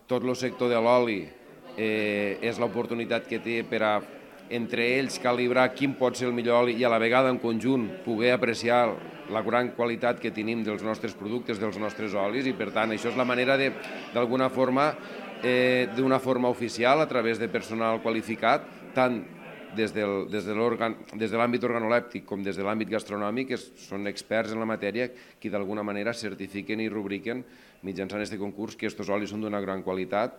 tot el sector de l'oli és l'oportunitat que té per a entre ells calibrar quin pot ser el millor oli i a la vegada en conjunt poder apreciar la gran qualitat que tenim dels nostres productes, dels nostres olis, i per tant això és la manera d'alguna forma, d'una forma oficial, a través de personal qualificat, tant des de l'àmbit organolèptic com des de l'àmbit gastronòmic, que són experts en la matèria, que d'alguna manera certifiquen i rubriquen mitjançant aquest concurs que aquests olis són d'una gran qualitat